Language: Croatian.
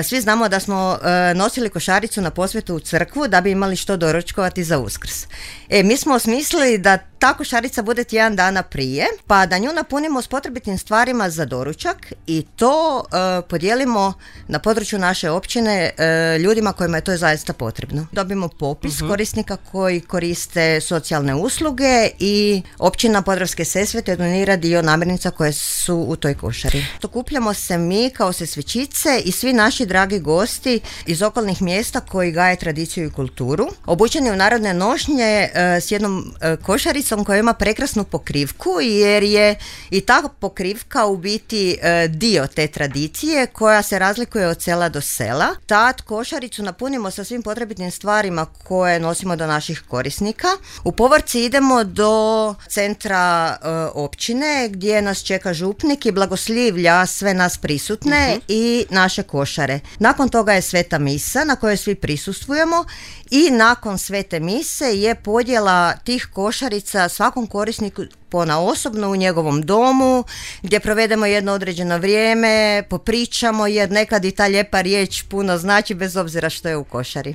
Svi znamo da smo nosili košaricu na posvetu u crkvu da bi imali što doručkovati za Uskrs. Mi smo osmislili da ta košarica bude tjedan dana prije, pa da nju napunimo s potrebitim stvarima za doručak i to podijelimo na području naše općine ljudima kojima je to zaista potrebno. Dobimo popis korisnika koji koriste socijalne usluge i općina Podravske Sesvete donira dio namirnica koje su u toj košari. Okupljamo se mi kao Sesvečice i svi naši dragi gosti iz okolnih mjesta koji gaje tradiciju i kulturu, obučeni u narodne nošnje s jednom košaricom koja ima prekrasnu pokrivku, jer je i ta pokrivka u biti dio te tradicije koja se razlikuje od sela do sela. Tad košaricu napunimo sa svim potrebitim stvarima koje nosimo do naših korisnika. U povorci idemo do centra općine gdje nas čeka župnik i blagoslivlja sve nas prisutne i naše košare. Nakon toga je sveta misa na kojoj svi prisustvujemo i nakon svete mise je podjela tih košarica svakom korisniku ponaosobno u njegovom domu gdje provedemo jedno određeno vrijeme, popričamo jer nekad i ta lijepa riječ puno znači bez obzira što je u košari.